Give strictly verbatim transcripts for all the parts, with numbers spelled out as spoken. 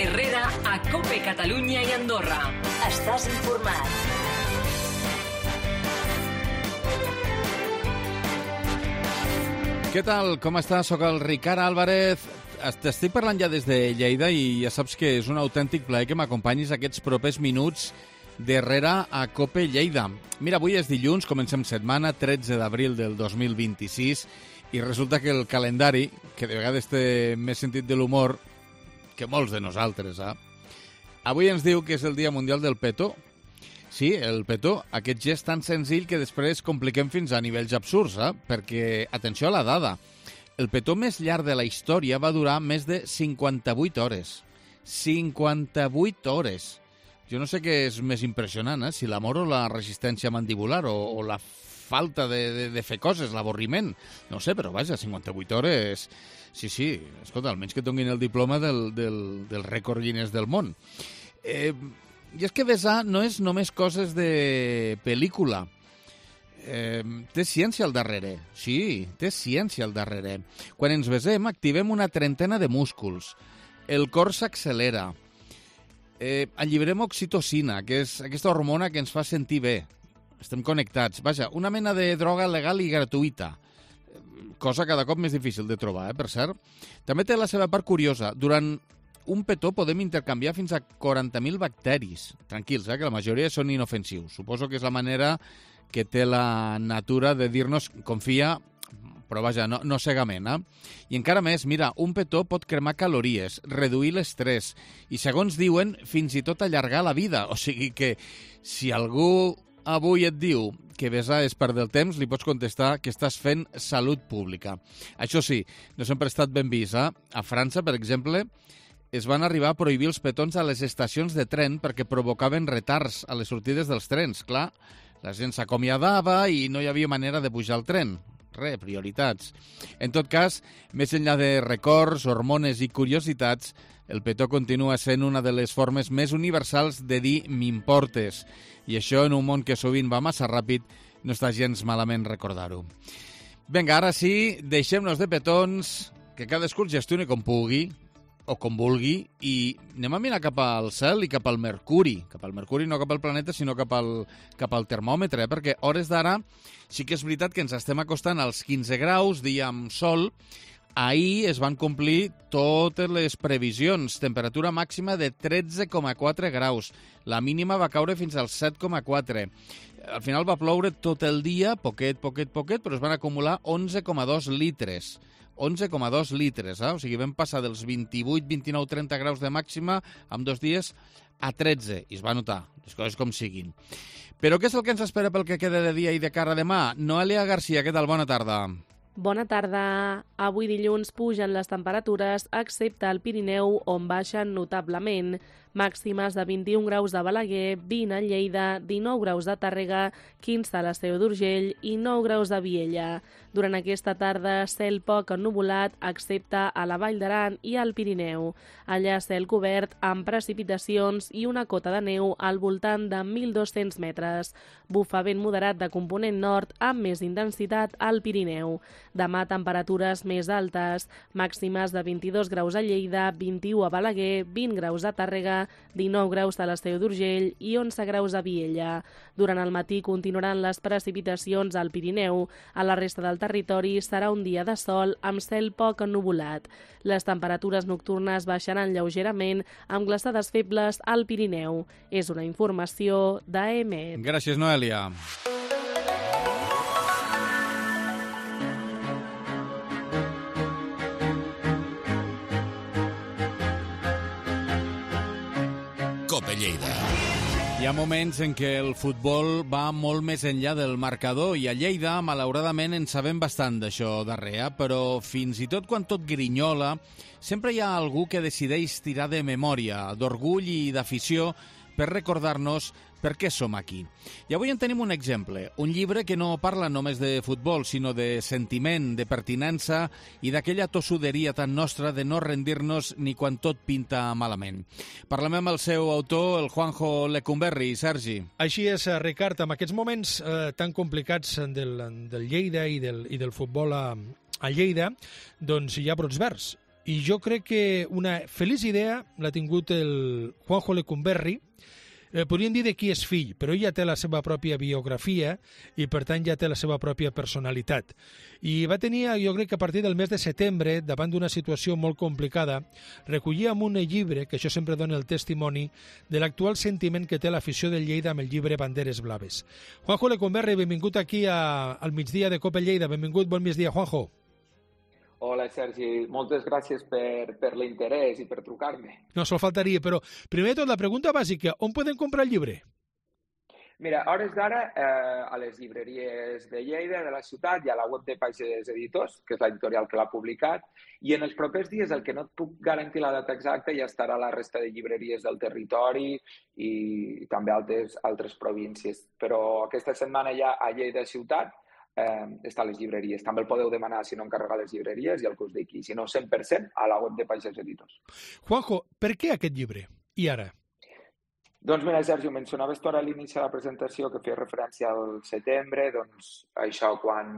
Herrera a Cope Catalunya i Andorra. Estàs informat. Què tal? Com estàs? Soc el Ricard Álvarez. T'estic parlant ja des de Lleida i ja saps que és un autèntic plaer que m'acompanyis aquests propers minuts d'Herrera a Cope Lleida. Mira, avui és dilluns, comencem setmana, tretze d'abril del dos mil vint-i-sis, i resulta que el calendari, que de vegades té més sentit de l'humor que molts de nosaltres, eh? Avui ens diu que és el Dia Mundial del Petó. Sí, el petó, aquest gest tan senzill que després compliquem fins a nivells absurds, eh? Perquè, atenció a la dada, el petó més llarg de la història va durar més de cinquanta-vuit hores. cinquanta-vuit hores! Jo no sé què és més impressionant, eh? Si l'amor o la resistència mandibular o, o la falta de, de, de fer coses, l'avorriment. No sé, però vaja, cinquanta-vuit hores... Sí, sí, escolta, almenys que tinguin el diploma del, del, del rècord Guinness del món. Eh, I és que besar no és només coses de pel·lícula. Eh, té ciència al darrere. Sí, té ciència al darrere. Quan ens besem, activem una trentena de músculs. El cor s'accelera. Eh, alliberem oxitocina, que és aquesta hormona que ens fa sentir bé. Estem connectats. Vaja, una mena de droga legal i gratuïta. Cosa cada cop més difícil de trobar, eh, per cert. També té la seva part curiosa. Durant un petó podem intercanviar fins a quaranta mil bacteris. Tranquils, eh, que la majoria són inofensius. Suposo que és la manera que té la natura de dir-nos confia, però vaja, no, no cegament, eh? I encara més, mira, un petó pot cremar calories, reduir l'estrès i, segons diuen, fins i tot allargar la vida. O sigui que si algú avui et diu que besar és perdre el temps, li pots contestar que estàs fent salut pública. Això sí, no sempre ha estat ben vist, eh? A França, per exemple, es van arribar a prohibir els petons a les estacions de tren perquè provocaven retards a les sortides dels trens. Clar, la gent s'acomiadava i no hi havia manera de pujar al tren. Re, prioritats. En tot cas, més enllà de records, hormones i curiositats, el petó continua sent una de les formes més universals de dir m'importes. I això, en un món que sovint va massa ràpid, no està gens malament recordar-ho. Vinga, ara sí, deixem-nos de petons, que cadascú el gestioni com pugui, o com vulgui, i anem a mirar cap al cel i cap al Mercuri. Cap al Mercuri, no cap al planeta, sinó cap al, cap al termòmetre, eh? Perquè hores d'ara sí que és veritat que ens estem acostant als quinze graus, dia amb sol. Ahir es van complir totes les previsions. Temperatura màxima de tretze coma quatre graus. La mínima va caure fins als set coma quatre. Al final va ploure tot el dia, poquet, poquet, poquet, però es van acumular onze coma dos litres. onze coma dos litres, eh? O sigui, vam passar dels vint-i-vuit, vint-i-nou, trenta graus de màxima en dos dies a tretze. I es va notar, les coses com siguin. Però què és el que ens espera pel que queda de dia i de cara a demà? Noelia Garcia, què tal? Bona tarda. Bona tarda. Avui dilluns pugen les temperatures, excepte al Pirineu, on baixen notablement. Màximes de vint-i-un graus de Balaguer, vint a Lleida, dinou graus de Tàrrega, quinze a la Seu d'Urgell i nou graus de Viella. Durant aquesta tarda, cel poc ennuvolat, excepte a la Vall d'Aran i al Pirineu. Allà cel cobert amb precipitacions i una cota de neu al voltant de mil dos-cents metres. Bufa vent moderat de component nord amb més intensitat al Pirineu. Demà temperatures més altes, màximes de vint-i-dos graus a Lleida, vint-i-u a Balaguer, vint graus a Tàrrega, dinou graus a la Seu d'Urgell i onze graus a Viella. Durant el matí continuaran les precipitacions al Pirineu. A la resta del territori serà un dia de sol amb cel poc ennuvolat. Les temperatures nocturnes baixaran lleugerament amb glaçades febles al Pirineu. És una informació d'A M E T. Gràcies, Noelia. Cope Lleida. Hi ha moments en què el futbol va molt més enllà del marcador i a Lleida, malauradament, en sabem bastant d'això darrer, però fins i tot quan tot grinyola, sempre hi ha algú que decideix tirar de memòria, d'orgull i d'afició per recordar-nos per què som aquí. I avui en tenim un exemple, un llibre que no parla només de futbol, sinó de sentiment, de pertinença i d'aquella tossuderia tan nostra de no rendir-nos ni quan tot pinta malament. Parlem amb el seu autor, el Juanjo Lecumberri. Sergi. Així és, Ricard, en aquests moments eh, tan complicats del, del Lleida i del, i del futbol a, a Lleida, doncs hi ha brots verds. I jo crec que una feliç idea l'ha tingut el Juanjo Lecumberri. Eh, podríem dir de qui és fill, però ell ja té la seva pròpia biografia i, per tant, ja té la seva pròpia personalitat. I va tenir, jo crec que a partir del mes de setembre, davant d'una situació molt complicada, recollia en un llibre, que això sempre dona el testimoni, de l'actual sentiment que té l'afició del Lleida amb el llibre Banderes Blaves. Juanjo Lecumberri, benvingut aquí a, al migdia de Copa Lleida. Benvingut, bon migdia, Juanjo. Hola, Sergi. Moltes gràcies per, per l'interès i per trucar-me. No, sol faltaria, però primer de tot la pregunta bàsica, on podem comprar el llibre? Mira, a hores d'ara, eh, a les llibreries de Lleida, de la ciutat, i a la web de Paixes Editors, que és l'editorial que l'ha publicat, i en els propers dies, el que no et puc garantir la data exacta, ja estarà a la resta de llibreries del territori i també altres, altres províncies. Però aquesta setmana ja a Lleida ciutat eh, està a les llibreries. També el podeu demanar si no encarregar les llibreries i el que us dic, si no cent per cent a la web de Paixes Editors. Juanjo, per què aquest llibre? I ara? Doncs mira, Sergi, ho mencionaves tu ara a l'inici de la presentació, que feia referència al setembre, doncs això, quan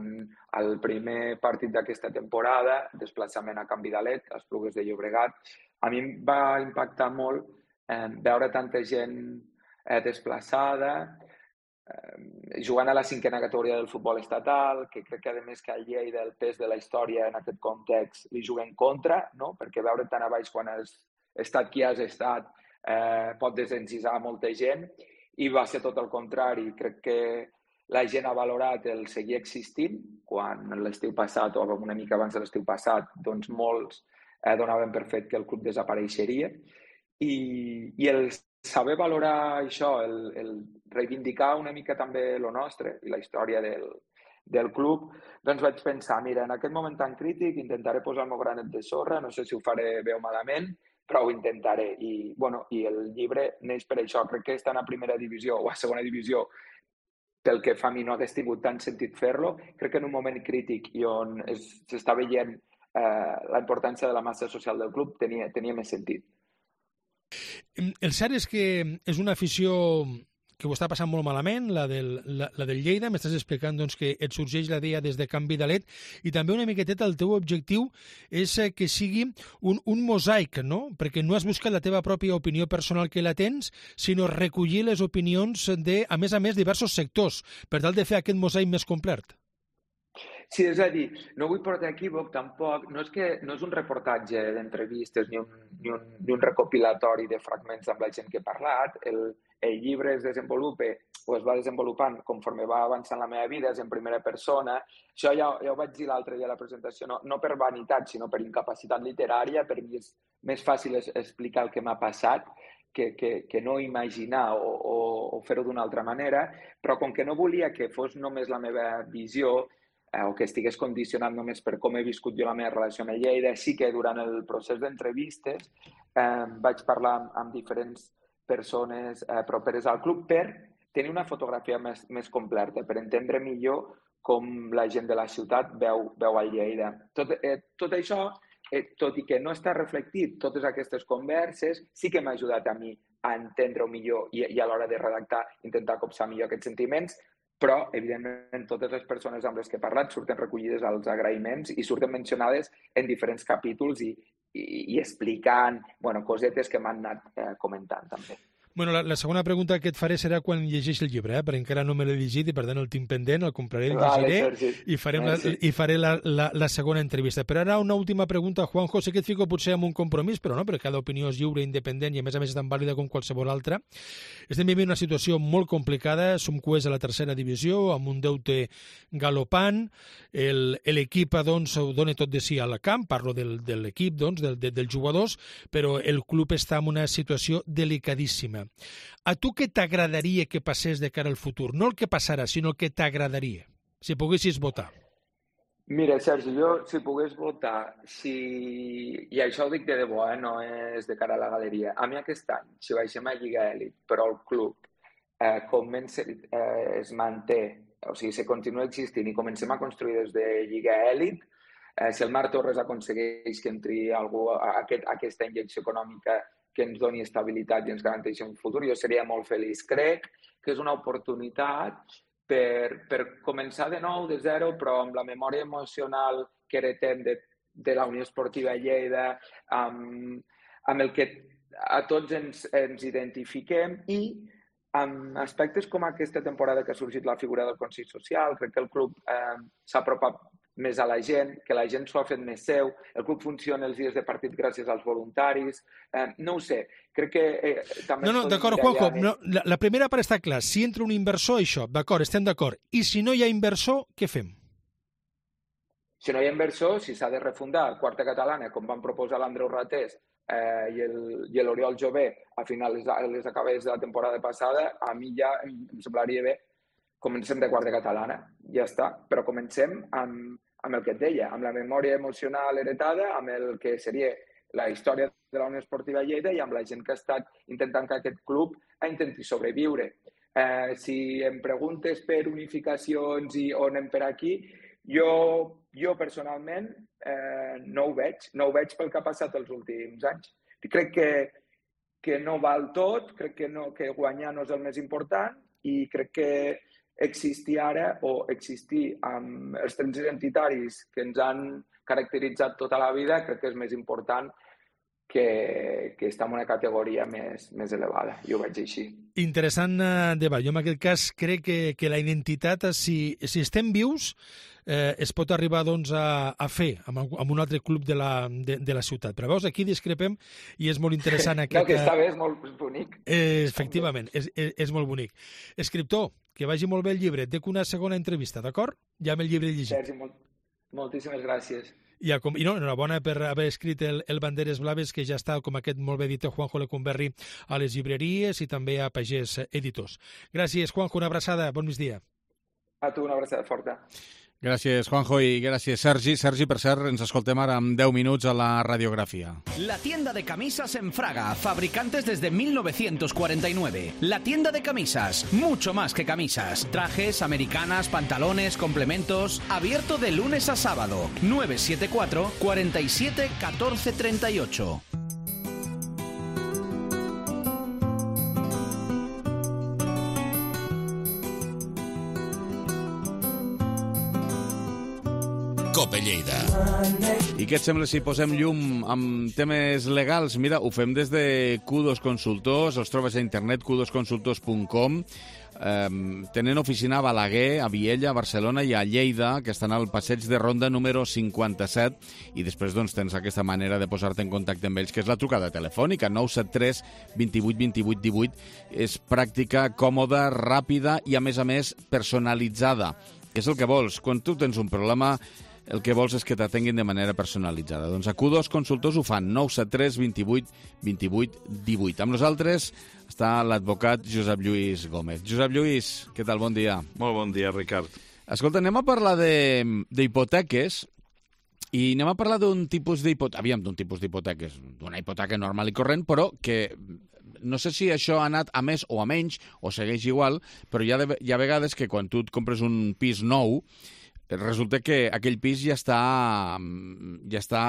el primer partit d'aquesta temporada, desplaçament a Can Vidalet, a Esplugues de Llobregat, a mi em va impactar molt eh, veure tanta gent eh, desplaçada, eh, jugant a la cinquena categoria del futbol estatal, que crec que a més que a Lleida el pes de la història en aquest context li juga en contra, no? Perquè veure tan a baix quan has estat qui has estat Eh, pot desencisar molta gent, i va ser tot el contrari. Crec que la gent ha valorat el seguir existint, quan l'estiu passat o una mica abans de l'estiu passat doncs molts eh, donaven per fet que el club desapareixeria, i, i el saber valorar això, el, el reivindicar una mica també lo nostre i la història del, del club, doncs vaig pensar, mira, en aquest moment tan crític intentaré posar el meu granet de sorra, no sé si ho faré bé o malament, però ho intentaré. I, bueno, i el llibre neix per això. Crec que estar a primera divisió o a segona divisió, pel que fa a mi no hagués tingut tant sentit fer-lo. Crec que en un moment crític i on s'està veient eh, la importància de la massa social del club tenia, tenia més sentit. El cert és que és una afició que ho està passant molt malament, la del, la, la del Lleida. M'estàs explicant doncs, que et sorgeix la idea des de Can Vidalet, i també una miqueteta el teu objectiu és que sigui un, un mosaic, no? Perquè no has buscat la teva pròpia opinió personal, que la tens, sinó recollir les opinions de, a més a més, diversos sectors, per tal de fer aquest mosaic més complet. Sí, és a dir, no vull portar equívoc tampoc, no és que no és un reportatge d'entrevistes ni un, ni, un, ni un recopilatori de fragments amb la gent que he parlat. El, el llibre es desenvolupa o es va desenvolupant conforme va avançant la meva vida, és en primera persona. Això ja, ja ho vaig dir l'altre dia a la presentació, no, no per vanitat, sinó per incapacitat literària. Per mi és més fàcil explicar el que m'ha passat que, que, que no imaginar o, o, o fer-ho d'una altra manera, però com que no volia que fos només la meva visió, eh, o que estigués condicionat només per com he viscut jo la meva relació amb Lleida, sí que durant el procés d'entrevistes eh, vaig parlar amb, amb diferents persones eh, properes al club per tenir una fotografia més, més completa, per entendre millor com la gent de la ciutat veu, veu a Lleida. Tot, eh, tot això, eh, tot i que no està reflectit, totes aquestes converses, sí que m'ha ajudat a mi a entendre-ho millor i, i a l'hora de redactar, intentar copsar millor aquests sentiments, però, evidentment, totes les persones amb les que he parlat surten recollides als agraïments i surten mencionades en diferents capítols i, i, i explicant bueno, cosetes que m'han anat eh, comentant també. Bueno, la, la segona pregunta que et faré serà quan llegeix el llibre, eh? perquè encara no me l'he llegit i per tant el tinc pendent, el compraré, el llegiré vale, i, farem la, i faré la, la, la segona entrevista. Però ara una última pregunta, Juanjo, sé que et fico potser amb un compromís, però no, perquè cada opinió és lliure, independent i a més a més és tan vàlida com qualsevol altra. Estem vivint una situació molt complicada, som cues a la tercera divisió, amb un deute galopant, l'equip doncs, ho dona tot de si al camp, parlo del, de l'equip, doncs, del, de, dels jugadors, però el club està en una situació delicadíssima. A tu què t'agradaria que passés de cara al futur? No el que passarà, sinó el que t'agradaria, si poguessis votar. Mira, Sergi, jo si pogués votar, si... i això ho dic de debò, eh? No és de cara a la galeria. A mi aquest any, si baixem a Lliga Elit, però el club eh, comença, eh, es manté, o sigui, se continua existint i comencem a construir des de Lliga Elit, eh, si el Marc Torres aconsegueix que entri algú a, aquest, a aquesta injecció econòmica que ens doni estabilitat i ens garanteixi un futur, jo seria molt feliç. Crec que és una oportunitat per, per començar de nou, de zero, però amb la memòria emocional que heretem de de la Unió Esportiva Lleida, amb, amb el que a tots ens, ens identifiquem, i amb aspectes com aquesta temporada que ha sorgit la figura del Consell Social. Crec que el club eh, s'ha apropat més a la gent, que la gent s'ho ha fet més seu, el club funciona els dies de partit gràcies als voluntaris, eh, no ho sé, crec que eh, també... No, no, d'acord, Juanjo, no, la, la primera part està clar, si entra un inversor, això, d'acord, estem d'acord, i si no hi ha inversor, què fem? Si no hi ha inversor, si s'ha de refundar Quarta Catalana, com van proposar l'Andreu Ratés eh, i l'Oriol Jové a finals de les acabades de la temporada passada, a mi ja em, em semblaria bé. Comencem de Quarta Catalana, ja està, però comencem amb, amb el que et deia, amb la memòria emocional heretada, amb el que seria la història de la Unió Esportiva Lleida i amb la gent que ha estat intentant que aquest club intenti sobreviure. Eh, si em preguntes per unificacions i on anem per aquí, jo, jo personalment eh, no ho veig, no ho veig pel que ha passat els últims anys. Crec que, que no val tot, crec que, no, que guanyar no és el més important i crec que existir ara o existir amb els trets identitaris que ens han caracteritzat tota la vida, crec que és més important que, que estar en una categoria més, més elevada. Jo ho veig així. Interessant debat. Jo en aquest cas crec que, que la identitat, si, si estem vius, eh, es pot arribar doncs, a, a fer amb, amb un altre club de la, de, de la ciutat. Però veus, aquí discrepem i és molt interessant aquest... No, que està bé, és molt bonic. Eh, efectivament, és, és, és molt bonic. Escriptor, que vagi molt bé el llibre. Dec una segona entrevista, d'acord? Ja amb el llibre llegit. Sergi, molt, moltíssimes gràcies. I, com, i no, enhorabona per haver escrit el, el Banderes Blaves, que ja està, com aquest molt bé dit Juanjo Lecumberri, a les llibreries i també a Pagès Editors. Gràcies, Juanjo, una abraçada, bon migdia. A tu una abraçada forta. Gràcies, Juanjo, i gràcies, Sergi. Sergi, per cert, ens escoltem ara en deu minuts a la radiografia. La tienda de camisas en Fraga, fabricantes desde mil novecientos cuarenta y nueve. La tienda de camisas, mucho más que camisas. Trajes, americanas, pantalones, complementos. Abierto de lunes a sábado. nueve siete cuatro, cuatro siete, uno cuatro tres ocho. Cope Lleida. I què et sembla si posem llum amb temes legals? Mira, ho fem des de Q dos Consultors, els trobes a internet, q dos consultors punt com. Um, tenen oficina a Balaguer, a Viella, a Barcelona i a Lleida, que estan al passeig de Ronda número cinquanta-set, i després doncs, tens aquesta manera de posar-te en contacte amb ells, que és la trucada telefònica, nou set tres, dos vuit, dos vuit, un vuit. És pràctica, còmoda, ràpida i, a més a més, personalitzada. És el que vols. Quan tu tens un problema, el que vols és que t'atenguin de manera personalitzada. Doncs a Q dos Consultors ho fan, nou set tres, dos vuit, dos vuit, un vuit. Amb nosaltres està l'advocat Josep Lluís Gómez. Josep Lluís, què tal? Bon dia. Molt bon dia, Ricard. Escolta, anem a parlar d'hipoteques i anem a parlar d'un tipus d'hipoteques, aviam, d'un tipus d'hipoteques, d'una hipoteca normal i corrent, però que no sé si això ha anat a més o a menys, o segueix igual, però hi ha, de, hi ha vegades que quan tu et compres un pis nou, resulta que aquell pis ja està, ja està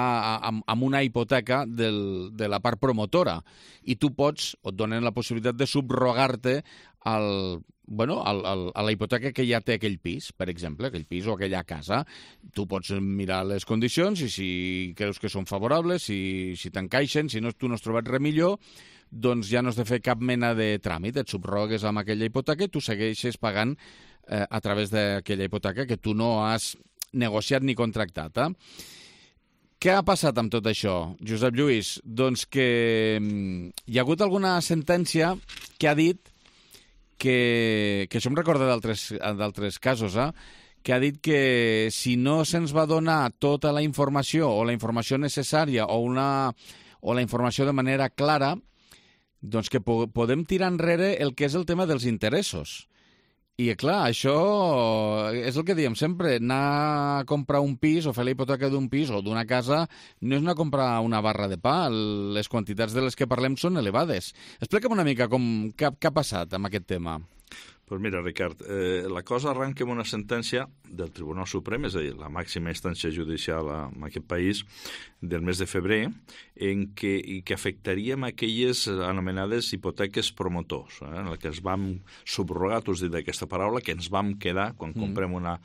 amb, amb una hipoteca del, de la part promotora i tu pots, o et donen la possibilitat de subrogar-te al, bueno, al, al, a la hipoteca que ja té aquell pis, per exemple, aquell pis o aquella casa. Tu pots mirar les condicions i si creus que són favorables, si, si t'encaixen, si no, tu no has trobat res millor, doncs ja no has de fer cap mena de tràmit, et subrogues amb aquella hipoteca i tu segueixes pagant eh, a través d'aquella hipoteca que tu no has negociat ni contractat. Eh? Què ha passat amb tot això, Josep Lluís? Doncs que hi ha hagut alguna sentència que ha dit que, que això em recorda d'altres casos, eh? que ha dit que si no se'ns va donar tota la informació o la informació necessària o, una, o la informació de manera clara, doncs que po podem tirar enrere el que és el tema dels interessos. I, clar, això és el que diem sempre. Anar a comprar un pis o fer la hipoteca d'un pis o d'una casa no és anar a comprar una barra de pa. Les quantitats de les que parlem són elevades. Explica'm una mica com, què, què ha passat amb aquest tema. Pues mira, Ricard, eh, la cosa arranca amb una sentència del Tribunal Suprem, és a dir, la màxima instància judicial en aquest país, del mes de febrer, en què, i que afectaria aquelles anomenades hipoteques promotors, eh, en què ens vam subrogar, tu has dit aquesta paraula, que ens vam quedar quan mm. comprem una...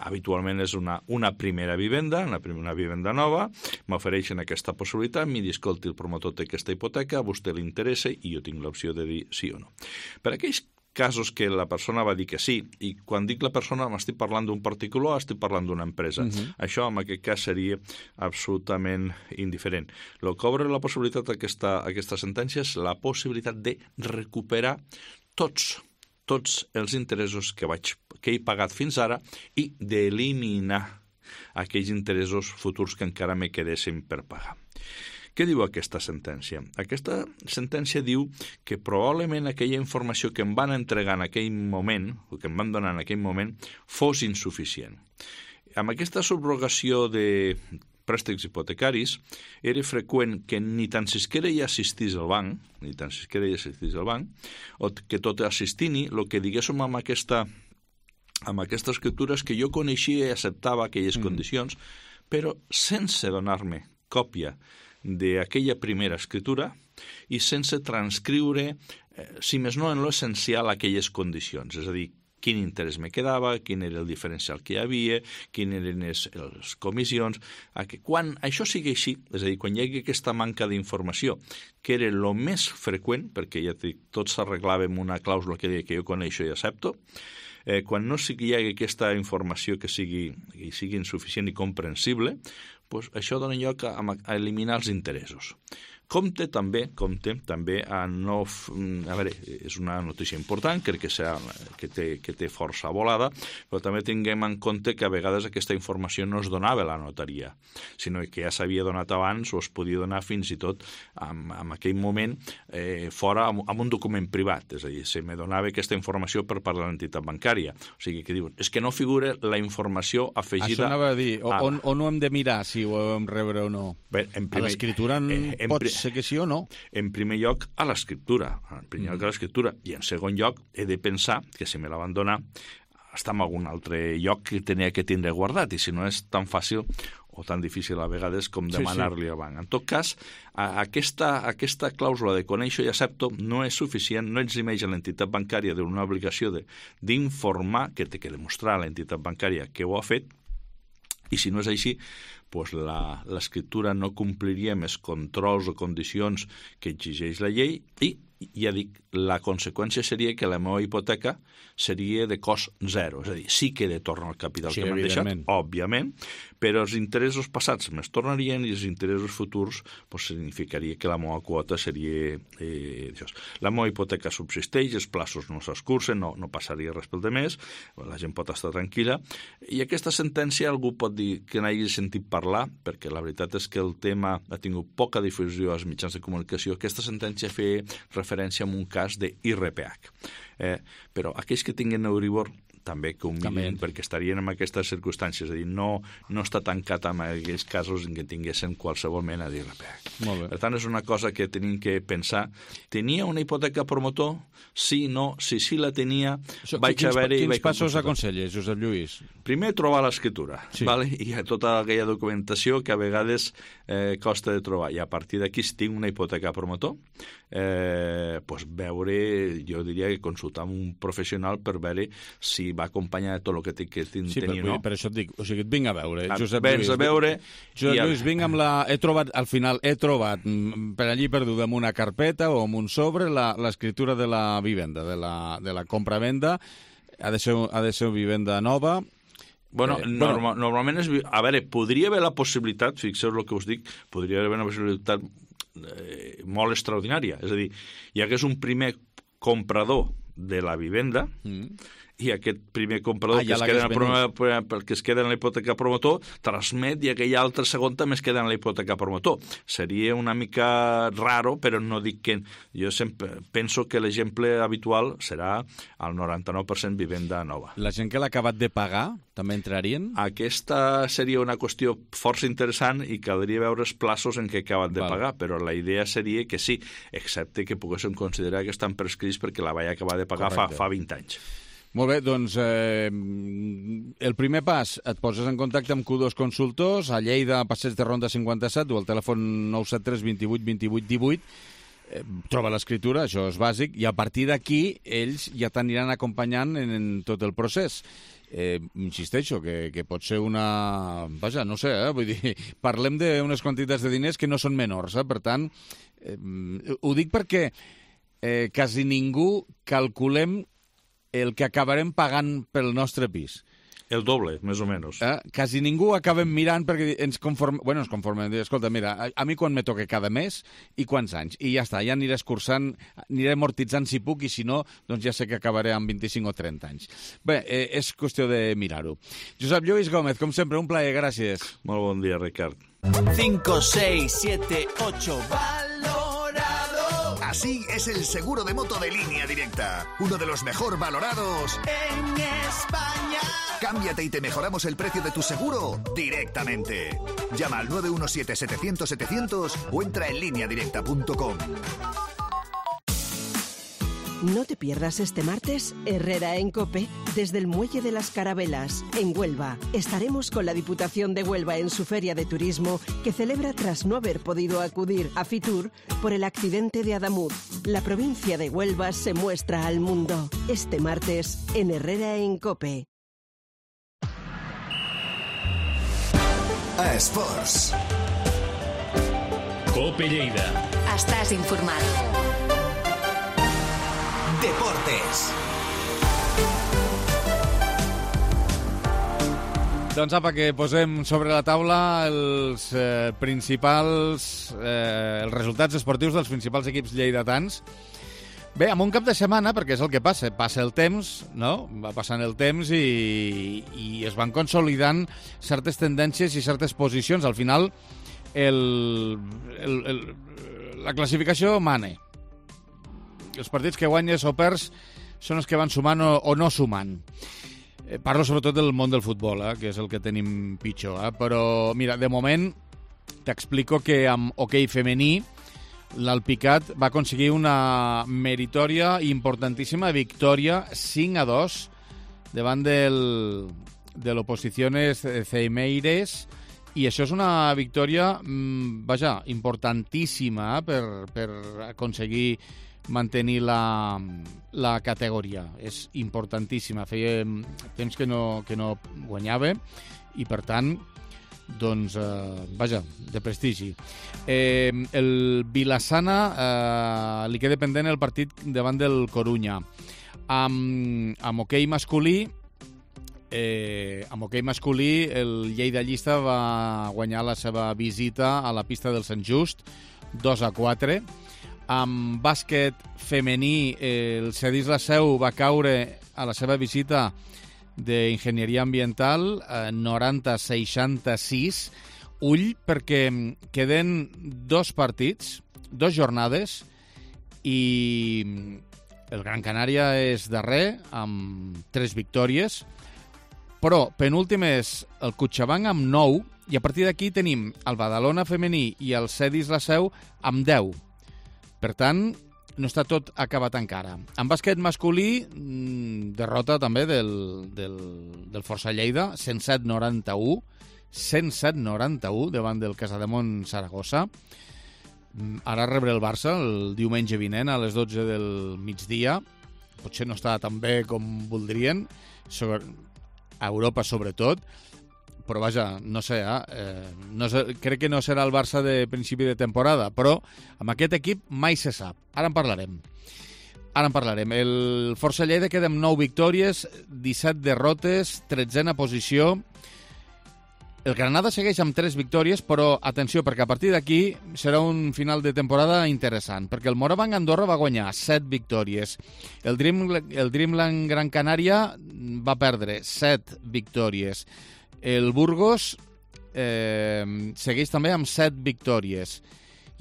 Habitualment és una, una primera vivenda, una, una vivenda nova, m'ofereixen aquesta possibilitat, m'hi diu, escolti, el promotor té aquesta hipoteca, a vostè li interessa i jo tinc l'opció de dir sí o no. Per aquells casos que la persona va dir que sí, i quan dic la persona m'estic parlant d'un particular, estic parlant d'una empresa. Uh-huh. Això en aquest cas seria absolutament indiferent. El que obre la possibilitat d'aquesta aquesta sentència és la possibilitat de recuperar tots, tots els interessos que, vaig, que he pagat fins ara i d'eliminar aquells interessos futurs que encara me quedessin per pagar. Què diu aquesta sentència? Aquesta sentència diu que probablement aquella informació que em van entregar en aquell moment, o que em van donar en aquell moment, fos insuficient. Amb aquesta subrogació de préstecs hipotecaris era freqüent que ni tan sisquera hi assistís al banc, ni tan sisquera hi assistís al banc, o que tot assistint-hi, el que diguéssim amb aquesta, amb aquesta escriptura és que jo coneixia i acceptava aquelles mm. condicions, però sense donar-me còpia d'aquella primera escritura i sense transcriure, eh, si més no en l'essencial, aquelles condicions. És a dir, quin interès me quedava, quin era el diferencial que hi havia, quines eren les, les comissions. Quan això sigui així, és a dir, quan hi hagi aquesta manca d'informació, que era el més freqüent, perquè ja dic, tots s'arreglàvem una clàusula que deia que jo coneixo i accepto, eh, quan no sigui, hi hagi aquesta informació que sigui, que sigui insuficient i comprensible, pues això dona lloc a, a eliminar els interessos. Compte també, compte també a no... A veure, és una notícia important, crec que, sea, que, té, que té força volada, però també tinguem en compte que a vegades aquesta informació no es donava a la notaria, sinó que ja s'havia donat abans o es podia donar fins i tot en, en aquell moment eh, fora amb, amb un document privat, és a dir, se me donava aquesta informació per part de l'entitat bancària. O sigui, que diuen, és que no figura la informació afegida... Això anava a dir, o, a... on, on ho hem de mirar, si ho hem rebre o no? Bé, en primer... A l'escriptura eh, en pot sé que sí o no? En primer lloc, a l'escriptura. En primer lloc, a l'escriptura. I en segon lloc, he de pensar que si me la van donar està en algun altre lloc que tenia que tindre guardat, i si no és tan fàcil o tan difícil a vegades com demanar-li sí, sí. al banc. En tot cas, aquesta, aquesta clàusula de conèixer i accepto no és suficient, no eximeix a l'entitat bancària d'una obligació d'informar, que té que demostrar a l'entitat bancària que ho ha fet, i si no és així, pues l'escriptura no compliria més controls o condicions que exigeix la llei i, ja dic, la conseqüència seria que la meva hipoteca seria de cost zero, és a dir, sí que he de tornar al capital sí, que m'han deixat, òbviament, però els interessos passats me'ls tornarien i els interessos futurs pues, significaria que la meva quota seria... Eh, això. La meva hipoteca subsisteix, els plaços no s'escurcen, no, no passaria res pel de més, la gent pot estar tranquil·la, i aquesta sentència algú pot dir que n'hagi sentit parlar, perquè la veritat és que el tema ha tingut poca difusió als mitjans de comunicació. Aquesta sentència feia referència a un cas d'I R P H. Eh, però aquells que tinguin Euribor també que ho mirin, perquè estarien en aquestes circumstàncies, és a dir, no, no està tancat en aquells casos en què tinguessin qualsevol mena d'I R P H. Per tant, és una cosa que tenim que pensar. Tenia una hipoteca promotor? Sí, no. Si sí la tenia, so, vaig quins, haver-hi... Quins passos aconselles, Josep Lluís? Primer, trobar l'escriptura, sí. vale? I tota aquella documentació que a vegades eh, costa de trobar. I a partir d'aquí, si tinc una hipoteca promotor, eh, pues veure, jo diria que consultar amb un professional per veure si va acompanyar de tot el que té que tenir, sí, per, no? Per això et dic, o sigui, et vinc a veure. Josep Lluís, a veure... Josep Lluís, vinc amb la... He trobat, al final, he trobat per allí perduda en una carpeta o en un sobre l'escriptura de la vivenda, de la, de la compra-venda. Ha de ser, ha de ser vivenda nova. Bueno, eh, norma, bueno, normalment és... A veure, podria haver la possibilitat, fixeu el que us dic, podria haver una possibilitat eh, molt extraordinària. És a dir, hi hagués un primer comprador de la vivenda mm. i aquest primer comprador ah, ja que, es queda en el, que es queda en la hipoteca promotor transmet i aquell altre segon també es queda en la hipoteca promotor. Seria una mica raro, però no dic que... Jo sempre penso que l'exemple habitual serà el noranta-nou per cent vivenda nova. La gent que l'ha acabat de pagar també entrarien? Aquesta seria una qüestió força interessant i caldria veure els plaços en què acaben de Val. pagar, però la idea seria que sí, excepte que poguéssim considerar que estan prescrits perquè la vaig acabar de pagar fa, fa vint anys. Molt bé, doncs eh, el primer pas, et poses en contacte amb Q dos Consultors, a Lleida, Passeig de Ronda cinquanta-set, o al telèfon nou set tres vint vuit vint vuit divuit, eh, troba l'escriptura, això és bàsic, i a partir d'aquí ells ja t'aniran acompanyant en, en tot el procés. Eh, insisteixo, que, que pot ser una... Vaja, no sé, eh? Vull dir, parlem d'unes quantitats de diners que no són menors, eh? Per tant, eh, ho dic perquè eh, quasi ningú calculem el que acabarem pagant pel nostre pis. El doble, més o menys. Eh? Quasi ningú acabem mirant perquè ens conformem... Bueno, ens conformem. Escolta, mira, a, a mi quan me toca cada mes i quants anys. I ja està, ja aniré escurçant, aniré amortitzant si puc i si no, doncs ja sé que acabaré amb vint-i-cinc o trenta anys. Bé, eh, és qüestió de mirar-ho. Josep Lluís Gómez, com sempre, un plaer, gràcies. Molt bon dia, Ricard. cinco, seis, siete, ocho, valorado. Así es el seguro de moto de Línea Directa, uno de los mejor valorados en España. Cámbiate y te mejoramos el precio de tu seguro directamente. Llama al nueve uno siete, setecientos, setecientos o entra en línea directa punto com. No te pierdas este martes Herrera en COPE desde el Muelle de las Carabelas, en Huelva. Estaremos con la Diputación de Huelva en su feria de turismo que celebra tras no haber podido acudir a Fitur por el accidente de Adamuz. La provincia de Huelva se muestra al mundo este martes en Herrera en COPE. A Esports. COPE Lleida. Estàs informat. Deportes. Doncs apa, que posem sobre la taula els eh, principals eh, els resultats esportius dels principals equips lleidatans. Bé, amb un cap de setmana, perquè és el que passa, passa el temps, no? Va passant el temps i, i es van consolidant certes tendències i certes posicions. Al final, el, el, el, la classificació mane. Els partits que guanyes o perds són els que van sumant o, o no sumant. Eh, parlo sobretot del món del futbol, eh, que és el que tenim pitjor. Eh? Però, mira, de moment t'explico que amb hoquei femení l'Alpicat va aconseguir una meritòria i importantíssima victòria cinc a dos davant del, de l'Oposiciones Ceimeires, i això és una victòria, mmm, vaja, importantíssima eh, per, per aconseguir mantenir la, la categoria. És importantíssima. Feia temps que no, que no guanyava i, per tant, doncs, eh, vaja, de prestigi. Eh, el Vilassana eh, li queda pendent el partit davant del Corunya. Amb, amb hoquei masculí, eh, amb hoquei masculí, el Lleida Llista va guanyar la seva visita a la pista del Sant Just, dos a quatre. Amb bàsquet femení, eh, el Cedís La Seu va caure a la seva visita d'Enginyeria Ambiental, eh, noranta a seixanta-sis. Ull, perquè queden dos partits, dos jornades, i el Gran Canària és darrer, amb tres victòries, però penúltim és el Cotxabanc amb nou, i a partir d'aquí tenim el Badalona femení i el Cedís La Seu amb deu. Per tant, no està tot acabat encara. En bàsquet masculí, derrota també del, del, del Força Lleida, cent set a noranta-u, cent set a noranta-u davant del Casademont Saragossa. Ara rebre el Barça el diumenge vinent a les dotze del migdia. Potser no està tan bé com voldrien, sobre, a Europa sobretot, però vaja, no sé, eh? no sé, crec que no serà el Barça de principi de temporada, però amb aquest equip mai se sap. Ara en parlarem. Ara en parlarem. El Força Lleida queda amb nou victòries, disset derrotes, tretzena posició. El Granada segueix amb tres victòries, però atenció, perquè a partir d'aquí serà un final de temporada interessant, perquè el Morabanc Andorra va guanyar set victòries. El, Dream, el Dreamland Gran Canària va perdre set victòries. El Burgos eh, segueix també amb set victòries.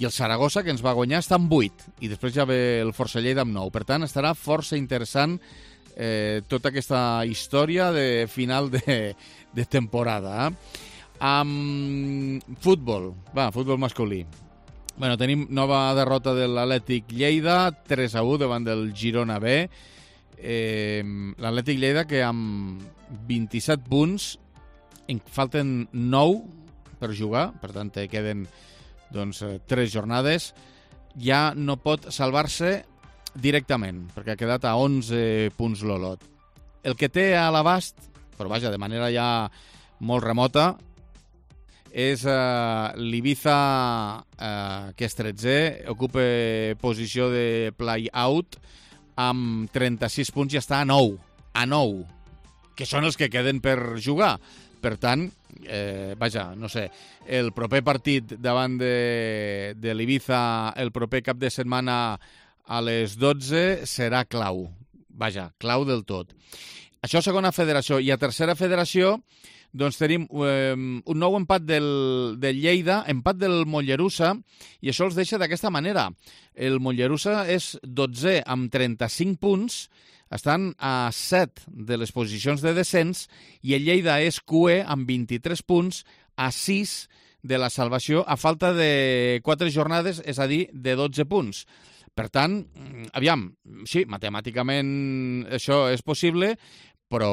I el Saragossa, que ens va guanyar, està amb vuit. I després ja ve el Força Lleida amb nou. Per tant, estarà força interessant eh, tota aquesta història de final de, de temporada. Eh? Amb futbol, va, futbol masculí. Bueno, tenim nova derrota de l'Atlètic Lleida, tres a u davant del Girona B. Eh, L'Atlètic Lleida que amb vint-i-set punts, en falten nou per jugar, per tant queden doncs, tres jornades, ja no pot salvar-se directament, perquè ha quedat a onze punts l'Olot. El que té a l'abast, però vaja, de manera ja molt remota, és uh, l'Ibiza, uh, que és tretzè, ocupa posició de play-out amb trenta-sis punts i està a nou, a nou, que són els que queden per jugar. Per tant, eh, vaja, no sé, el proper partit davant de, de l'Ibiza, el proper cap de setmana a les dotze, serà clau. Vaja, clau del tot. Això segona federació. I a tercera federació, doncs tenim eh, un nou empat del, del Lleida, empat del Mollerussa, i això els deixa d'aquesta manera. El Mollerussa és dotzè amb trenta-cinc punts, estan a set de les posicions de descens, i el Lleida és cué amb vint-i-tres punts, a sis de la salvació, a falta de quatre jornades, és a dir, de dotze punts. Per tant, aviam, sí, matemàticament això és possible, però,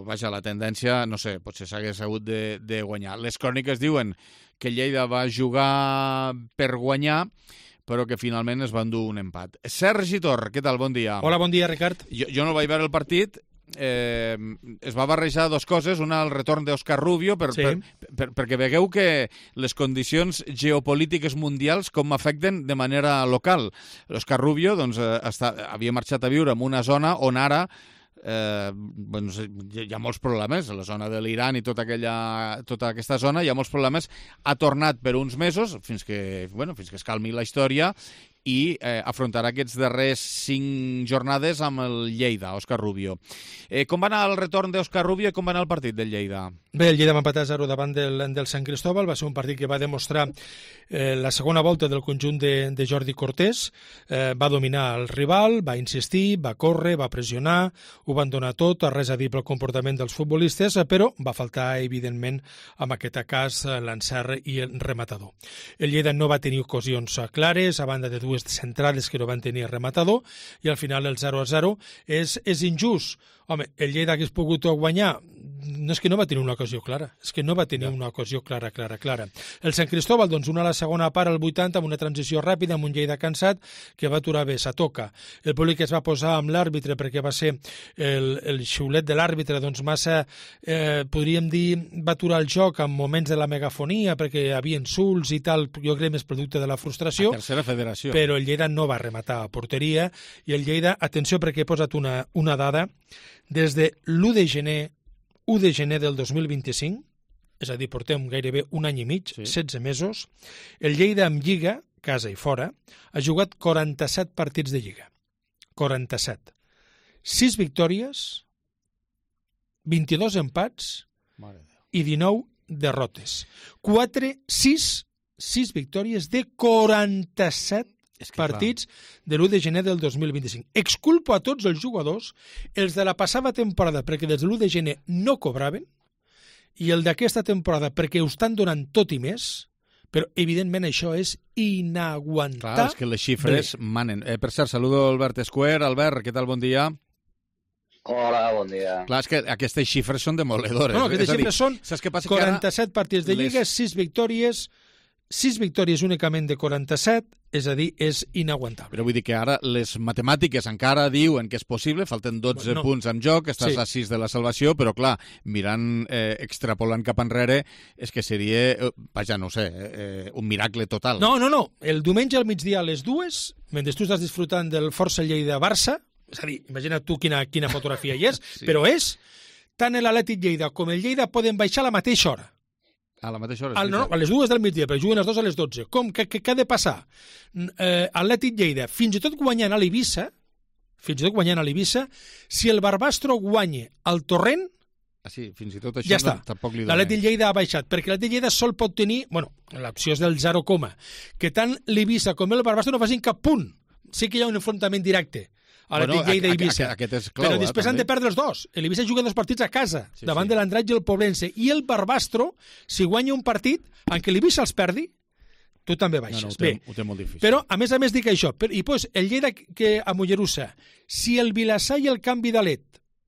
vaja, la tendència, no sé, potser s'hagués hagut de, de guanyar. Les cròniques diuen que Lleida va jugar per guanyar, però que finalment es va endur un empat. Sergi Tor, què tal? Bon dia. Hola, bon dia, Ricard. Jo, jo no vaig veure el partit, eh, es va barrejar dues coses, una el retorn d'Òscar Rubio, per, sí. per, per, perquè vegueu que les condicions geopolítiques mundials com afecten de manera local. L'Òscar Rubio doncs, està, havia marxat a viure en una zona on ara Eh, doncs, hi ha molts problemes a la zona de l'Iran i tota, aquella, tota aquesta zona, hi ha molts problemes. Ha tornat per uns mesos fins que, bueno, fins que es calmi la història i eh, afrontarà aquests darrers cinc jornades amb el Lleida, Òscar Rubio. Eh, com va anar el retorn d'Òscar Rubio i com va anar el partit del Lleida? Bé, el Lleida va empatar a zero davant del, del Sant Cristóbal, va ser un partit que va demostrar eh, la segona volta del conjunt de, de Jordi Cortés, eh, va dominar el rival, va insistir, va córrer, va pressionar, ho van donar tot, res a dir pel comportament dels futbolistes, però va faltar, evidentment, en aquest cas, l'encert i el rematador. El Lleida no va tenir ocasions clares, a banda de dues centrades que no van tenir rematador, i al final el zero a zero és, és injust. Home, el Lleida hagués pogut guanyar, no és que no va tenir una ocasió clara, és que no va tenir una ocasió clara, clara, clara. El Sant Cristóbal, doncs, una a la segona part, al vuitanta, amb una transició ràpida, amb un Lleida cansat, que va aturar bé, s'atoca. El públic es va posar amb l'àrbitre, perquè va ser el, el xiulet de l'àrbitre, doncs massa, eh, podríem dir, va aturar el joc en moments de la megafonia, perquè hi havia insults i tal, jo crec més producte de la frustració. A tercera federació. Però el Lleida no va rematar a porteria, i el Lleida, atenció, perquè he posat una, una dada, des de l'u de gener, u de gener del dos mil vint-i-cinc, és a dir, portem gairebé un any i mig, sí. setze mesos, el Lleida amb Lliga, casa i fora, ha jugat quaranta-set partits de Lliga. quaranta-set. sis victòries, vint-i-dos empats i dinou derrotes. quatre, sis, sis victòries de quaranta-set és que partits clar. De l'u de gener del dos mil vint-i-cinc. Exculpo a tots els jugadors, els de la passada temporada perquè des de l'u de gener no cobraven, i el d'aquesta temporada perquè ho estan donant tot i més, però evidentment això és inaguantable. Clar, és que les xifres manen. Eh, per cert, saludo Albert Escuer. Albert, què tal? Bon dia. Hola, bon dia. Clar, és que aquestes xifres són demoledores. No, aquestes xifres són quaranta-set partits de Lliga, les... sis victòries, sis victòries únicament de quaranta-set, és a dir, és inaguantable. Però vull dir que ara les matemàtiques encara diuen que és possible, falten dotze bueno, no. punts en joc, estàs sí. a sis de la salvació, però clar, mirant, eh, extrapolant cap enrere, és que seria, eh, vaja, no sé, eh, un miracle total. No, no, no. El diumenge al migdia a les dues, mentre tu estàs disfrutant del Força Lleida-Barça, és a dir, imagina't tu quina, quina fotografia hi és, sí. però és, tant l'Atlètic Lleida com el Lleida poden baixar a la mateixa hora. A la mateixa hora. Al, no, a les dues del migdia, però juguen les dues a les dotze. Com? Què, què, què ha de passar? Eh, Atlètic Lleida, fins i tot guanyant a l'Eivissa, fins i tot guanyant a l'Eivissa, si el Barbastro guanya al Torrent, ah, sí, fins i tot això ja està. No, tampoc li dona. L'Atlètic Lleida ha baixat, perquè l'Atlètic Lleida sol pot tenir, bueno, l'opció és del zero, que tant l'Eivissa com el Barbastro no facin cap punt. Sí que hi ha un enfrontament directe a l'Atlètic bueno, Lleida i Eivissa. Aquest és clau, però després eh, han de perdre els dos. L'Eivissa juga dos partits a casa, sí, davant sí. de l'Andratx i el Poblense. I el Barbastro, si guanya un partit, en què l'Eivissa els perdi, tu també baixes. No, no, ho, té, Bé, ho té molt difícil. Però, a més a més, dic això. I pues, el Lleida que a Mollerussa, si el Vilassar i el Canvi d'Alet,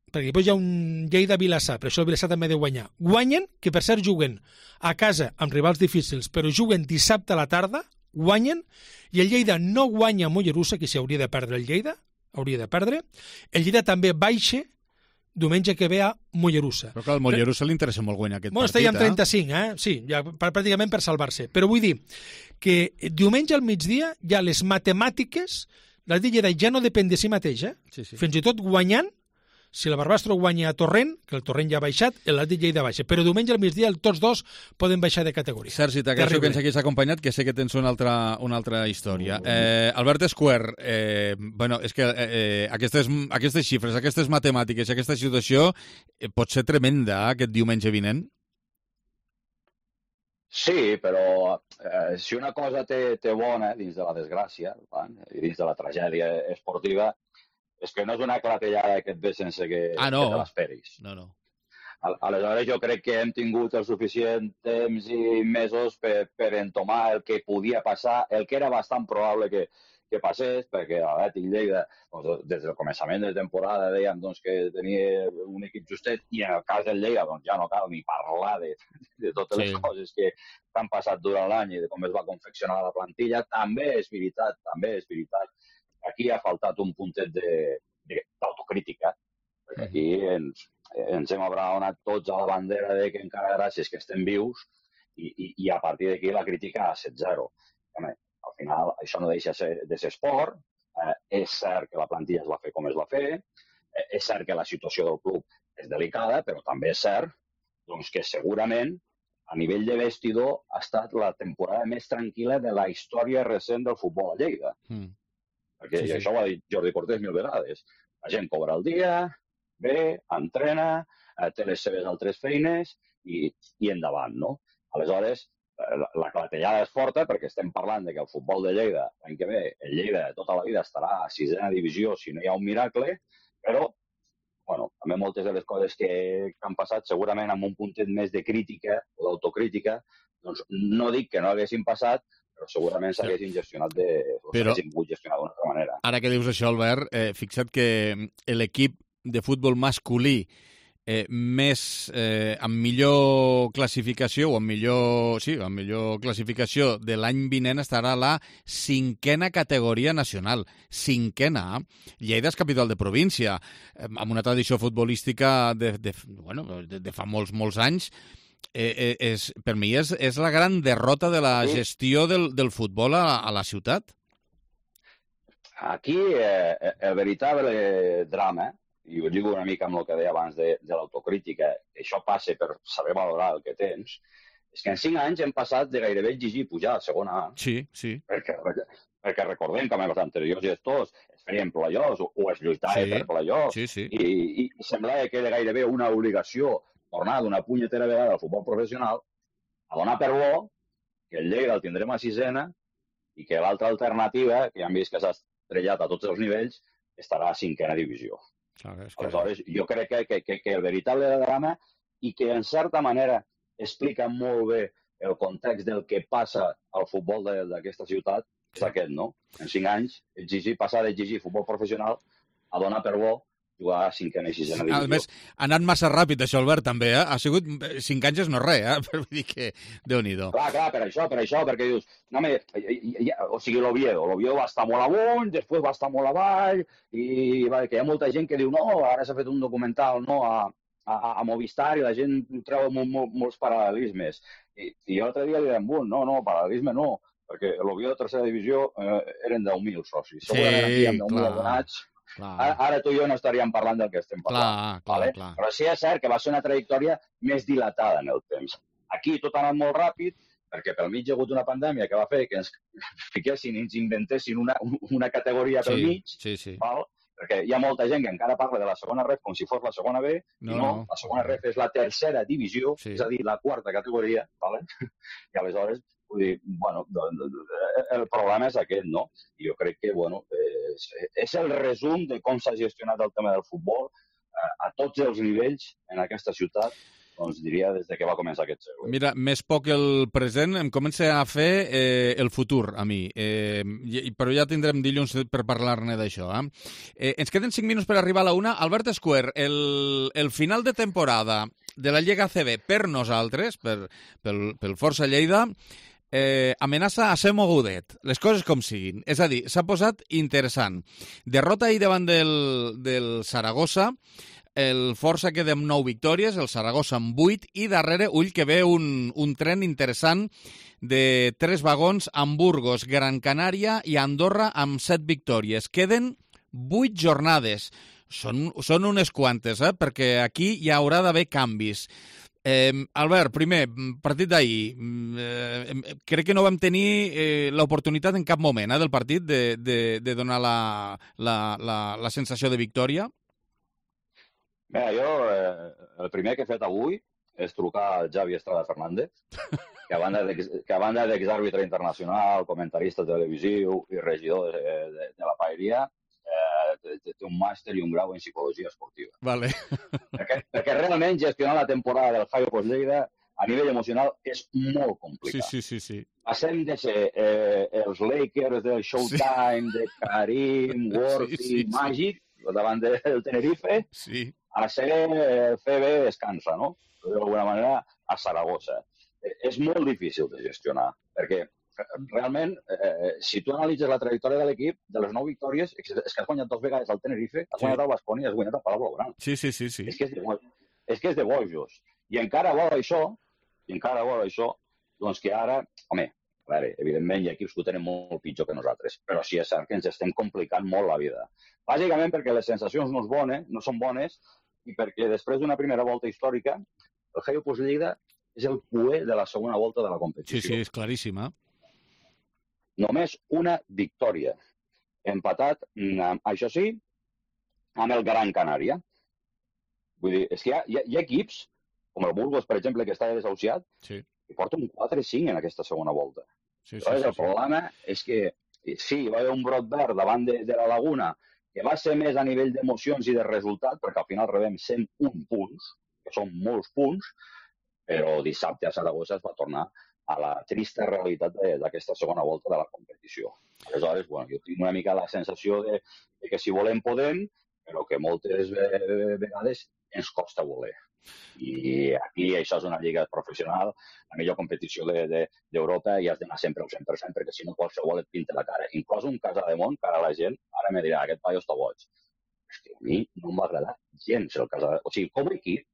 perquè després hi ha un Lleida-Vilassar, per això el Vilassar també ha de guanyar, guanyen, que per cert juguen a casa amb rivals difícils, però juguen dissabte a la tarda, guanyen, i el Lleida no guanya a Mollerussa, que s'hi hauria de perdre el Lleida, hauria de perdre, el Lleida també baixa diumenge que ve a Mollerussa. Però clar, al Mollerussa li interessa molt guanyar aquest bueno, partit, està ja en trenta-cinc, eh? Sí, ja, pràcticament per salvar-se. Però vull dir que diumenge al migdia ja les matemàtiques, la Lleida ja no depèn de si mateix, eh? Sí, sí. Fins i tot guanyant, si el Barbastro guanya a Torrent, que el Torrent ja ha baixat, l'Atlètic Lleida baixa. Però diumenge al migdia tots dos poden baixar de categoria. Sergi, t'agraeixo que ens hagués acompanyat, que sé que tens una altra, una altra història. Eh, Albert Esquer, eh, bueno, és que eh, aquestes, aquestes xifres, aquestes matemàtiques, aquesta situació eh, pot ser tremenda aquest diumenge vinent? Sí, però eh, si una cosa té, té bona dins de la desgràcia i dins de la tragèdia esportiva, és que no és una clatellada que et ve sense que, ah, no. que te l'esperis. No, no. Aleshores jo crec que hem tingut el suficient temps i mesos per, per entomar el que podia passar, el que era bastant probable que, que passés, perquè l'Atlètic Lleida, doncs, des del començament de temporada dèiem doncs, que tenia un equip justet, i en el cas del Lleida doncs, ja no cal ni parlar de, de totes sí. les coses que han passat durant l'any i de com es va confeccionar la plantilla. També és veritat, també és veritat. Aquí ha faltat un puntet d'autocrítica, perquè aquí ens, ens hem abraonat tots a la bandera de que encara gràcies que estem vius i, i, i a partir d'aquí la crítica a set zero. Home, al final això no deixa ser, de ser esport, eh, és cert que la plantilla es va fer com es va fer, eh, és cert que la situació del club és delicada, però també és cert doncs, que segurament a nivell de vestidor ha estat la temporada més tranquil·la de la història recent del futbol a Lleida. Mm. Perquè sí, sí. això ho ha dit Jordi Cortés mil vegades. La gent cobra el dia, ve, entrena, té les seves altres feines i, i endavant, no? Aleshores, la, la clatellada és forta perquè estem parlant de que el futbol de Lleida, l'any que ve, el Lleida tota la vida estarà a sisena divisió si no hi ha un miracle, però, bueno, també moltes de les coses que, que han passat, segurament amb un puntet més de crítica o d'autocrítica, doncs no dic que no haguessin passat, però segurament s'haguessin gestionat de... o s'haguessin pogut gestionar d'una altra manera. Ara que dius això, Albert, eh, fixa't que l'equip de futbol masculí eh, més eh, amb millor classificació o amb millor, sí, amb millor classificació de l'any vinent estarà a la cinquena categoria nacional. Cinquena. Lleida és capital de província, eh, amb una tradició futbolística de, de, bueno, de, de fa molts, molts anys. Eh, eh, és, per mi és, és la gran derrota de la gestió del, del futbol a, a la ciutat. Aquí eh, el veritable drama, i ho dic una mica amb el que deia abans de, de l'autocrítica, que això passa per saber valorar el que tens, és que en cinc anys hem passat de gairebé exigir pujar a segona A. Sí, sí. Perquè, perquè, perquè recordem que amb els anteriors gestors es feien play-offs o, o es lluitava sí, per play-offs sí, sí. i, i semblava que era gairebé una obligació tornar d'una punyetera vegada al futbol professional a donar per bo que el Lleida el tindrem a sisena i que l'altra alternativa, que ja hem vist que s'ha estrellat a tots els nivells, estarà a cinquena divisió. Ah, que... Aleshores, jo crec que, que, que, que el veritable drama i que en certa manera explica molt bé el context del que passa al futbol d'aquesta ciutat és aquest, no? En cinc anys, exigir, passar d'exigir futbol professional a donar per bo jugar a cinquena i sisena divisió. A més, ha anat massa ràpid això, Albert, també, eh? Ha sigut cinc anys és no res, eh? Per dir que Déu-n'hi-do. Clar, clar, per això, per això, perquè dius, no, me, ja, o sigui, l'Oviedo, l'Oviedo va estar molt amunt, després va estar molt avall, i va, que hi ha molta gent que diu, no, ara s'ha fet un documental, no, a, a, a Movistar, i la gent treu molt, molt, molts paral·lelismes. I, i l'altre dia li deien, no, no, paral·lelisme no, perquè l'Oviedo de tercera divisió eh, eren deu mil socis. Segurament aquí hi ha deu mil abonats. Ara, ara tu i jo no estaríem parlant del que estem parlant. Clar, clar, vale? clar. Però sí és cert que va ser una trajectòria més dilatada en el temps. Aquí tot ha anat molt ràpid, perquè pel mig hi ha hagut una pandèmia que va fer que ens fiquessin i ens inventessin una, una categoria pel sí, mig, sí, sí. val? Perquè hi ha molta gent que encara parla de la segona ref com si fos la segona B, no, i no, no, la segona ref és la tercera divisió, sí. És a dir, la quarta categoria, vale? I aleshores, vull dir, bueno, el problema és aquest, no? I jo crec que, bueno, és, és el resum de com s'ha gestionat el tema del futbol a tots els nivells en aquesta ciutat, doncs diria des de que va començar aquest segle. Mira, més poc el present, em comença a fer eh, el futur, a mi. Eh, però ja tindrem dilluns per parlar-ne d'això. Eh? Eh, ens queden cinc minuts per arribar a la una. Albert Escuer, el, el final de temporada de la Lliga A C B per nosaltres, per, pel, pel Força Lleida, eh, amenaça a ser mogudet, les coses com siguin. És a dir, s'ha posat interessant. Derrota ahir davant del, del Saragossa, el Força queda amb nou victòries, el Saragossa amb vuit, i darrere, ull, que ve un, un tren interessant de tres vagons amb Burgos, Gran Canària i Andorra amb set victòries. Queden vuit jornades. Són, són unes quantes, eh? Perquè aquí hi haurà d'haver canvis. Eh, Albert, primer, partit d'ahir. Eh, crec que no vam tenir eh, l'oportunitat en cap moment eh, del partit de, de, de donar la, la, la, la sensació de victòria. Bé, jo eh, el primer que he fet avui és trucar al Javi Estrada Fernández, que a banda d'exàrbitre internacional, comentarista televisiu i regidor de, de, de la paeria, eh, té un màster i un grau en psicologia esportiva. Vale. Perquè, perquè realment gestionar la temporada del Javi Poz Lleida a nivell emocional és molt complicat. Sí, sí, sí, sí. Passem de ser eh, els Lakers del Showtime, sí. De Karim, Worthy, sí, sí, Màgic, sí. Davant del Tenerife, sí. A ser el C B descansa, no? D'alguna manera, a Saragossa. Eh, és molt difícil de gestionar, perquè realment, eh, si tu analitzes la trajectòria de l'equip, de les nou victòries, és que has guanyat dos vegades al Tenerife, has sí. guanyat al Baskonia i has guanyat al Palau Blaugrana. Sí, sí, sí, sí. És que és de, és que és de bojos. I encara vol això, i encara vol això, doncs que ara, home, a veure, evidentment hi ha equips que ho tenen molt pitjor que nosaltres, però sí és cert que ens estem complicant molt la vida. Bàsicament perquè les sensacions no, és bones, no són bones, i perquè després d'una primera volta històrica, el Javi Poz Lleida és el cuer de la segona volta de la competició. Sí, sí, és claríssima. Només una victòria. Empatat, això sí, amb el Gran Canària. Vull dir, és que hi ha, hi ha, hi ha equips, com el Burgos, per exemple, que està desahuciat, sí. que porta un quatre cinc en aquesta segona volta. Sí, sí, Però sí, el sí. problema és que, sí, va haver un brot verd davant de, de la Laguna, que va ser més a nivell d'emocions i de resultat, perquè al final rebem cent un punts, que són molts punts, però dissabte a Saragossa es va tornar a la trista realitat d'aquesta segona volta de la competició. Aleshores, bueno, jo tinc una mica la sensació de, de que si volem podem, però que moltes vegades ens costa voler. I aquí això és una lliga professional, la millor competició d'Europa, de, de, i has d'anar sempre al cent per cent, perquè si no qualsevol et pinta la cara. Inclús un Casademont, que ara la gent ara me dirà, aquest paio està boig. És que a mi no em va agradar gens el Casademont. O sigui, com a equip,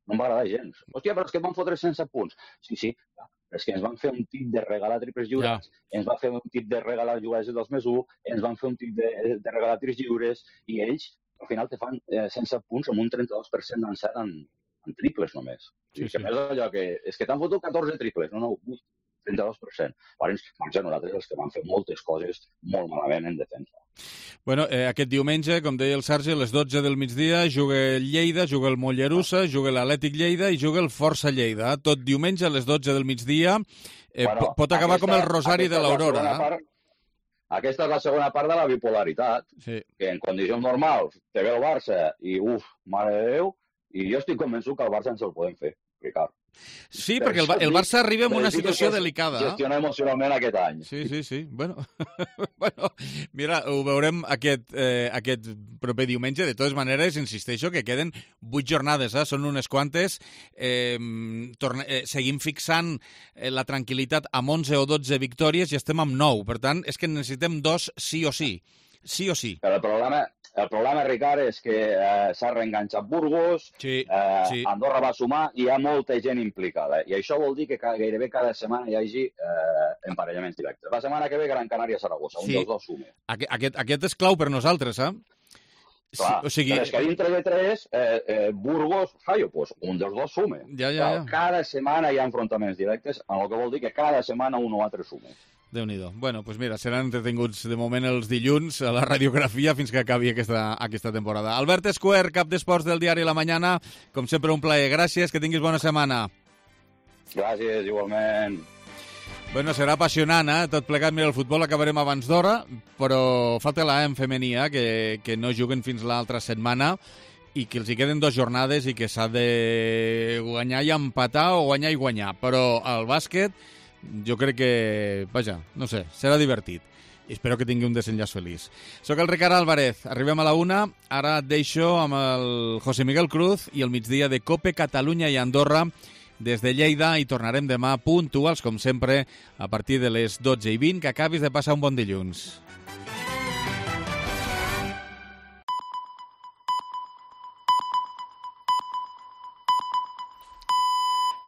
no em va agradar gens. Hòstia, però és que et van fotre sense punts. Sí, sí, clar. Però és que ens van fer un tip de regalar triples lliures, ja. Ens van fer un tip de regalar jugades dels més u, ens van fer un tip de, de regalar tirs lliures, i ells, al final, te fan eh, sense punts amb un trenta-dos per cent d'encert en, en triples només. Sí, sí. Que més allò que... És que t'han fotut catorze triples, no, no, ui, trenta-dos per cent. Llavors, van ser nosaltres els que van fer moltes coses molt malament en defensa. Bueno, eh, aquest diumenge, com deia el Sergi, a les dotze del migdia, juga el Lleida, juga el Mollerussa, juga l'Atlètic Lleida i juga el Força Lleida. Tot diumenge a les dotze del migdia. Eh, bueno, pot acabar aquesta, com el Rosari de l'Aurora. Eh? Aquesta és la segona part de la bipolaritat, sí. Que en condicions normals te ve el Barça i, uf, mare de Déu, i jo estic convençut que el Barça ens el podem fer, Ricard. Sí, perquè el, el Barça arriba en una situació delicada. Gestiona emocionalment aquest any. Sí, sí, sí. Bueno, bueno mira, ho veurem aquest, eh, aquest proper diumenge. De totes maneres, insisteixo que queden vuit jornades, eh? Són unes quantes. Eh, torne, eh, seguim fixant eh, la tranquil·litat amb onze o dotze victòries i estem amb nou. Per tant, és que necessitem dos sí o sí. Sí o sí. Però el problema, el problema Ricard, és que eh, s'ha reenganxat Burgos, sí, eh, sí. Andorra va sumar i hi ha molta gent implicada. I això vol dir que cada, gairebé cada setmana hi hagi eh, emparellaments directes. La setmana que ve Gran Canària-Saragossa, sí. Un dels dos sume. Aquest, aquest, aquest és clau per nosaltres, eh? Clar, o sigui... Però és que dintre de tres, eh, eh, Burgos, Jaio, pues un dels dos sume. Ja, ja, ja. Cada setmana hi ha enfrontaments directes, en el que vol dir que cada setmana un o altre sume. Déu-n'hi-do. Bueno, doncs pues mira, seran entretinguts de moment els dilluns a la radiografia fins que acabi aquesta, aquesta temporada. Albert Escuer, cap d'esports del diari La Mañana, com sempre un plaer. Gràcies, que tinguis bona setmana. Gràcies, igualment. Bueno, serà apassionant, eh? Tot plegat, mira, el futbol acabarem abans d'hora, però falta la en femenia, que, que no juguen fins l'altra setmana i que els hi queden dues jornades i que s'ha de guanyar i empatar o guanyar i guanyar. Però el bàsquet, jo crec que, vaja, no sé, serà divertit. I espero que tingui un desenllaç feliç. Soc el Ricard Álvarez, arribem a la una, ara et deixo amb el José Miguel Cruz i el migdia de Cope Catalunya i Andorra des de Lleida i tornarem demà puntuals, com sempre, a partir de les dotze i vint. Que acabis de passar un bon dilluns.